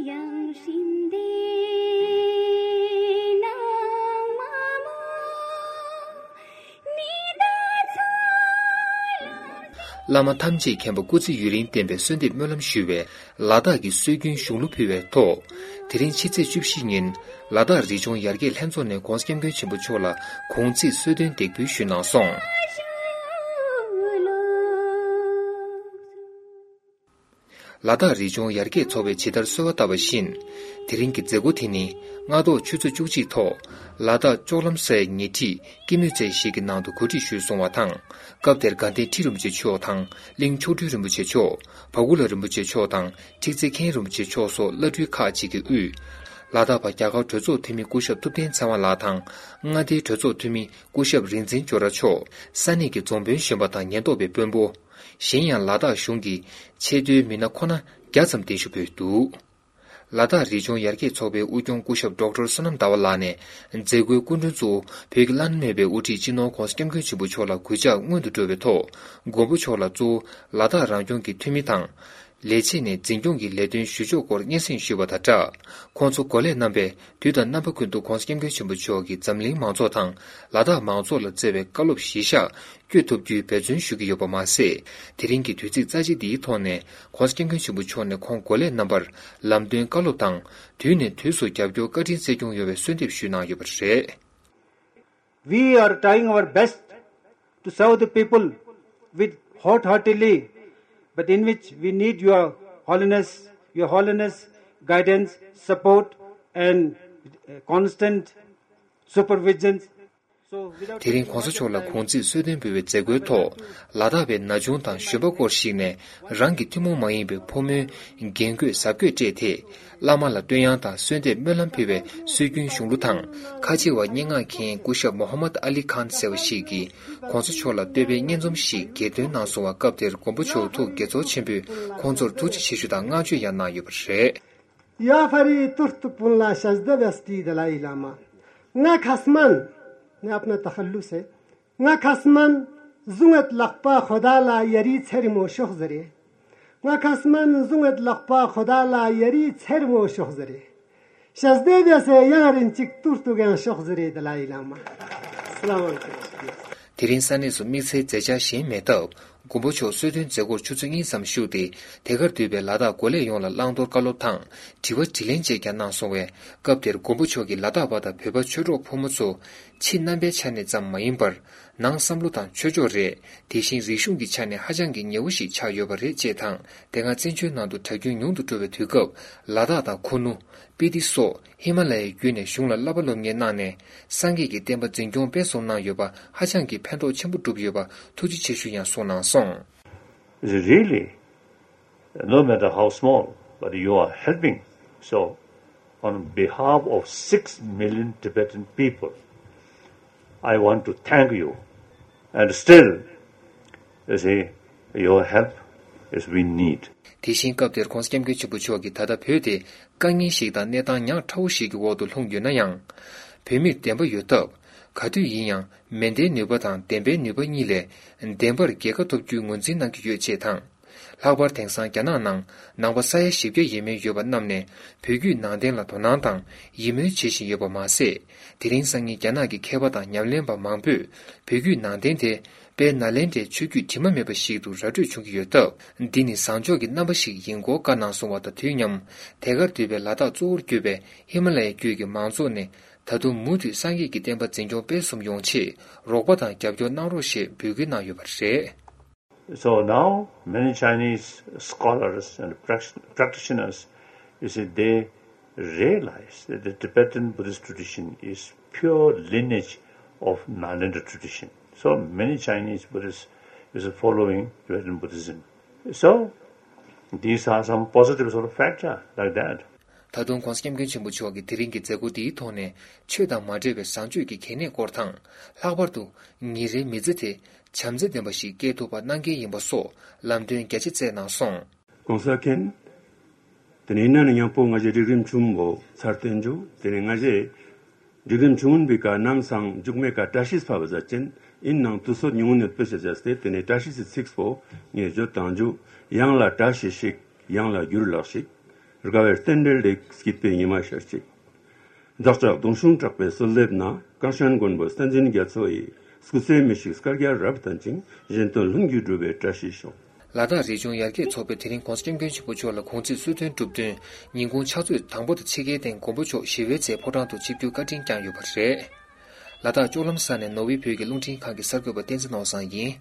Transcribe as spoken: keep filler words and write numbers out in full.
ཡང་སྲིད་འདི་ནང་མ་མོ་ནི་ད་ཚོ་ལ། བླ་མ་ཐམས་ཅད་མཁྱེན་པ་སྐུ་ཚེ་ཡུན་རིང་བརྟན་པའི་གསོལ་འདེབས་སྨོན་ལམ་ཞུ་བའི་ལ་དྭགས་ཀྱི་སྲོལ་རྒྱུན་གཞུང་ལུགས་ཕུལ་བའི་ཐོག་དེ་རིང་ཕྱི་ཚེས་བཅུ་བཞི་ཉིན་ལ་དྭགས་རི་ལྗོངས་ཡར་རྒྱས་ལྷན་ཚོགས་ནས་༧གོང་ས་༧སྐྱབས་མགོན་ཆེན་པོ་མཆོག་ལ་དགུང་ཚིགས་གསོལ་སྟོན་འདེགས་འབུལ་ཞུས་གནང་སོང་། ལ་དྭགས་རི་ལྗོངས་ཡར་རྒྱས་ཚོགས་པས་ཇི་ལྟར་གསོལ་བ་བཏབ་པ་བཞིན། དེ་རིང་གི་མཛད་སྒོ་དེ་ནི་སྔ་དྲོ་ཆུ་ཚོད་བཅུ་གཅིག་ཐོག་ལ་དྭགས་ལྕོག་ལམ་སའི་ཉེ་འཁྲིས་ཀི་མུད་ཚལ་ཞིག་གི་ནང་དུ་གོ་སྒྲིག་ཞུས་སོང་བ་དང་། སྐབས་དེར་དགའ་ལྡན་ཁྲི་རིན་པོ་ཆེ་མཆོག་དང་གླིང་མཆོག་སྤྲུལ་རིན་པོ་ཆེ་མཆོག་བ་ཀུ་ལ་རིན་པོ་ཆེ་མཆོག་དང་ཁྲི་ཙེ་མཁན་རིན་པོ་ཆེ་མཆོག་སོགས་བླ་སྤྲུལ་ཁག་ཅིག་གིས་དབུས། ལ་དྭགས་པ་རྒྱ་གར་གྲོས་ཚོགས་འཐུས་མི་སྐུ་ཞབས་ཐུབ་བསྟན་ཚེ་དབང་ལགས་དང་མངའ་སྡེའི་གྲོས་ཚོགས་འཐུས་མི་སྐུ་ཞབས་རིག་འཛིན་ཇོ་ར་མཆོག་ས་གནས་ཀྱི་རྫོང་དཔོན་གཞོན་པ་དང་ཉེན་རྟོག་པའི་དཔོན་པོ། གཞན་ཡང་ལ་དྭགས་གཞུང་གི་ཆེས་མཐོའི་མི་སྣ་ཁོ་ན་བརྒྱ་ཙམ་གདན་ཞུ་ཕུལ་འདུག་ལ་དྭགས་རི་ལྗོངས་ཡར་རྒྱས་ཚོགས་པའི་དབུ་སྐྱོང་སྐུ་ཞབས་ཌོག་ཊར་བསོད་ནམས་ཟླ་བ་ལགས་ནས་མཛད་སྒོའི་སྐུ་མགྲོན་གཙོ་བོ་བོད་ཀྱི་བླ་ན་མེད་པའི་དབུ་ཁྲིད་སྤྱི་ནོར་༧གོང་ས་༧སྐྱབས་མགོན་ཆེན་པོ་མཆོག་ལ་གུས་ཕྱག་སྔོན་དུ་འགྲོ་བའི་ཐོག་མགོན་པོ་མཆོག་ལ་གཙོ་བོ་ལ་དྭགས་རང་སྐྱོང་གི་འཐུས་མི་དང་། ལས་བྱེད་ནས་འཛིན་སྐྱོང་གི་ལས་དོན་ཞུ་ཕྱོགས་སྐོར་སྙན་སེང་ཞུས་པ་དང་སྦྲགས། ཁོང་ཚོ་འགོ་ལས་རྣམ་པས་དུས་དང་རྣམ་པ་ཀུན་ཏུ་༧གོང་ས་༧སྐྱབས་མགོན་ཆེན་པོ་མཆོག་གིས་འཛམ་གླིང་མང་ཚོགས་དང་ལ་དྭགས་མང་ཚོགས་ལ་བསྩལ་བའི་བཀའ་སློབ་གཞིར་བཞག་བསྐྱོད་ཐུབ་རྒྱུའི་འབད་བརྩོན་ཞུ་གི་ཡོད་པ་མ་ཟད། དེ་རིང་གི་དུས་ཚིགས་རྩ་ཆེ་འདིའི་ཐོག་ནས་༧གོང་ས་༧སྐྱབས་མགོན་ཆེན་པོ་མཆོག་ནས་ཁོང་འགོ་ལས་རྣམ་པར་ལམ་སྟོན་བཀའ་སློབ་དང་དུས་ནས་དུས་སུ་རྒྱབ་སྐྱོར་བཀའ་དྲིན་སྩལ་སྐྱོང་ཡོང་བའི་གསོལ་འདེབས་ཞུས་གནང་ཡོད་པ་རེད། We are trying our best to serve the people with wholeheartedly, but in which we need your holiness, your holiness, guidance, support, and uh, constant supervision. So, without དེ་རིང་༧གོང་ས་མཆོག་ལ་དགུང་ཚིགས་གསོལ་སྟོན་འབུལ་བའི་མཛད་སྒོའི་ཐོག་ལ་དྭགས་པའི་ན་ཆུང་དང་གཞོན་པ་སྐོར་ཞིག་ནས་རང་གི་ཐུན་མོང་མ་ཡིན་པའི་ཕོ་མོའི་རྒྱན་གོས་གཟབ་གོས་སྤྲས་ཏེ། བླ་མ་ལ་བསྟོད་དབྱངས་དང་གསོལ་འདེབས་སྨོན་ལམ་ཕུལ་བའི་སྲོལ་རྒྱུན་གཞུང་ལུགས་དང་། ཁ་ཆེ་བ་སྙན་ངག་མཁན་སྐུ་ཞབས་མོ་ཧམ་མད་ཨ་ལི་ཁཱན་ཟེར་བ་ཞིག་གིས་༧གོང་ས་མཆོག་ལ་བསྟོད་པའི་སྙན་རྩོམ་ཞིག་གྱེར་འདོན་གནང་སོང་བ། སྐབས་དེར་མགོན་པོ་མཆོག་ཐུགས་དགྱེས་ཚོར་ཆེན་པོས་ཁོང་ཚོར་ཐུགས་རྗེ་ཆེ་ཞུ་དང་བསྔགས་བརྗོད་ཡང་གནང་ཡོད་པ་རེད། Я фари турту пунла шазда вести далай лама. Nga khasman, ne apna takhallus hai. Nga khasman zungat lakpa khoda la yari tseri mo shokh zare. Nga khasman zungat lakpa khoda la yari tseri mo shokh zare. Shazde de se yang rin chik turtu gan shokh zare dalai lama. Salam alaikum. དེ་རིང་ས་གནས་སུ་དམིགས་བསལ་མཛད་འཆར་གཞན་མེད་སྟབས། མགོན་པོ་མཆོག་གསོལ་སྟོན་མཛད་སྒོར་ཆུ་ཚོད་གཉིས་ཙམ་བཞུགས་ཏེ། དེ་གར་འདུས་པའི་ལ་དྭགས་འགོ་ལས་ཡོངས་ལ་བླང་དོར་བཀའ་སློབ་དང་དྲི་བ་དྲིས་ལན་བཅས་ཀྱང་གནང་སོང་བས། སྐབས་དེར་མགོན་པོ་མཆོག་གིས་ལ་དྭགས་པ་དང་བོད་པ་ཆོས་གྲོགས་ཕོ་མོ་ཚོ་ཕྱི་རྣམ་པའི་ཆ་ནས་ཙམ་མ་ཡིན་པར། ནང་བསམ་བློ་དང་ཆོས་ཕྱོགས་རེད། དེ་བཞིན་རིག་གཞུང་གི་ཆ་ནས་ཧ་ཅང་གི་ཉེ་བོ་ཞིག་ཆགས་ཡོད་པ་རེད་ཅེས་དང་། དེ་སྔ་བཙན་བྱོལ་ནང་དུ་གྲྭ་རྒྱུན་ཉུང་དུ་འགྲོ་བའི་དུས་སྐབས། ལ་དྭགས་དང་ཁུ་ནུ། སྤི་ཏི་སོགས་ཧི་མ་ལ་ཡའི་བརྒྱུད་ནས་གཞུང་ལ་བསླབ་པ་སློབ་གཉེར་གནང་ནས། སངས་རྒྱས་ཀྱི་བསྟན་པ་འཛིན་སྐྱོང་སྤེལ་གསུམ་གནང་ཡོད་པ་ཧ་ཅང་གི་ཕན་ཐོགས་ཆེན་པོ་བསྒྲུབས་ཡོད་པ་ཐུགས་རྗེ་ཆེ་ཞུ་ཡང་གསུངས་གནང་སོང་། Really, no matter how small, but you are helping. So, on behalf of six million Tibetan people, I want to thank you. And still, you see, your help is we need. དེ་བཞིན་སྐབས་དེར་༧གོང་ས་༧སྐྱབས་མགོན་ཆེན་པོ་མཆོག་གིས་ད་ལྟ་བོད་དེ་དཀའ་ངལ་ཞིག་དང་གནས་སྟངས་ཉག་ཕྲ་བོ་ཞིག་གི་འོག་ཏུ་ལྷུང་ཡོད་ན་ཡང་། བོད་མིར་བདེན་པ་ཡོད་སྟབས། ག་དུས་ཡིན་ཡང་མེ་མདའི་ནུས་པ་དང་བདེན་པའི་ནུས་པ་གཉིས་ལས་བདེན་པར་རྒྱལ་ཁ་ཐོབ་རྒྱུའི་ངོས་འཛིན་གནང་གི་ཡོད་ཅེས་དང་། ལྷག་པར་དེང་སང་རྒྱ་ནག་ནང་ནང་པ་ས་ཡ་བཞི་བརྒྱ་ཡས་མས་ཡོད་པ་རྣམས་ནས་བོད་བརྒྱུད་ནང་བསྟན་ལ་དོ་སྣང་དང་ཡིད་སྨོན་བྱེད་བཞིན་ཡོད་པ་མ་ཟད། དེ་རིང་སང་ཉིན་རྒྱ་ནག་གི་མཁས་པ་དང་ཉམས་ལེན་པ་མང་པོས་བོད་བརྒྱུད་ནང་བསྟན་དེ་དཔལ་ནཱ་ལེནྡྲའི་ཆོས་བརྒྱུད་དྲི་མ་མེད་པ་ཞིག་ཏུ་ར་སྤྲོད་བྱུང་གི་ཡོད་སྟབས། འདི་ནི་བཟང་ཕྱོགས་ཀྱི་རྣམ་པ་ཞིག་ཡིན་སྐོར་བཀའ་གནང་སོང་བ་དང་དུས་མཉམ། དེ་གར་འདུས་པའི་ལ་དྭགས་གཙོ་བོར་གྱུར་པའི་ཧི་མ་ལ་ཡའི་རྒྱུད་ཀྱི་མང་ཚོགས་ནས་ད་དུང་མུ་མཐུད་སངས་རྒྱས་ཀྱི་བསྟན་པ་འཛིན་སྐྱོང་སྤེལ་གསུམ་ཡོང་ཆེད་རོགས་པ་དང་རྒྱབ་སྐྱོར་གནང་རོགས་ཞེས་འབོད་སྐུལ་གནང་ཡོད་པ་རེད། So now, many Chinese scholars and prac- practitioners, you see, they realize that the Tibetan Buddhist tradition is pure lineage of Nalanda tradition. So many Chinese Buddhists is following Tibetan Buddhism. So, these are some positive sort of factor like that. ད་དུང་༧གོང་ས་༧སྐྱབས་མགོན་ཆེན་པོ་མཆོག་གིས་དེ་རིང་གི་མཛད་སྒོ་འདིའི་ཐོག་ནས་ཆོས་དང་མ་འབྲེལ་བའི་བཟང་སྤྱོད་ཀྱི་གལ་གནད་སྐོར་དང་། ལྷག་པར་དུ་ཉིན་རེའི་མི་ཚེ་དེ་བྱམས་བརྩེ་ལྡན་པ་ཞིག་སྐྱེལ་ཐུབ་པ་གནང་གལ་ཡིན་པ་སོགས་ལམ་སྟོན་རྒྱ་ཆེ་བསྩལ་གནང་སོང་། གོང་ས་མཁྱེན། དེ་ནས་ཡིན་ན་ནི་ཉང་པོ་ང་ཞེ་སྒྲིག་རིམ་ཆུང་བོ་ཚར་བསྟན་རྒྱུ། དེ་ནས་ང་ཞེ་སྒྲིག་རིམ་ཆུང་བོ་བི་ཀ་ནམ་སང་མཇུག་མེད་ཀ་བཀྲ་ཤིས་ཕབ་པ་ཟ་ཅན་ཡིན་ནང་དུ་སོད་ཉུང་ནས་སྤེལ་བྱ་བྱས་ཏེ། དེ་ནས་བཀྲ་ཤིས་སི་ཚིགས་པོ་ངས་བརྗོད་བཏང་རྒྱུ། ཡང་ལ་བཀྲ་ཤིས་ཤིག་ཡང་ལ་གྱུར་ལགས་ཤིག་དགའ་བའི་རྟེན་འབྲེལ་ལས་སྐྱིད་པའི་ཉི་མ་ཤར་ཅིག། བདག་ཅག་གདུང་ཤུགས་དྲག་པོའི་གསོལ་འདེབས་ན། དཀར་ཤན་མགོན་པོ་བསྟན་འཛིན་རྒྱ་མཚོ་ཡི། སྐུ་ཚེའི་མི་ཤིགས་སྐར་རྒྱ་རབ་ལྡན་ཅིང་། གཞན་དོན་ལྷུན་གྱིས་འགྲུབ་པའི་བཀྲ་ཤིས་ཤོག། ལ་དྭགས་རི་ལྗོངས་ཡར་རྒྱས་ཚོགས་པས་དེ་རིང་༸གོང་ས་༸སྐྱབས་མགོན་ཆེན་པོ་མཆོག་ལ་དགོངས་ཚུལ་གསོལ་སྟོན་གྲུབ་བསྟུན་ཉིན་གུང་ཕྱག་ཚོད་དང་པོ་དང་ཕྱེད་ཀའི་སྟེང་དགོན་པ་མཆོག་ཞི་བའི་རྩེའི་ཕོ་བྲང་དུ་ཆིབས་བསྒྱུར་བཀའ་དྲིན་བསྐྱངས་ཡོད་པ་རེད། ལ་དྭགས་ལྕོག་ལམ་ས་གནས་ནོར་བུའི་བོད་ཀྱི་རླུང་འཕྲིན་ཁང་གི་གསར་འགོད་པ་བསྟན་འཛིན་ནོར་བཟང་ཡིན།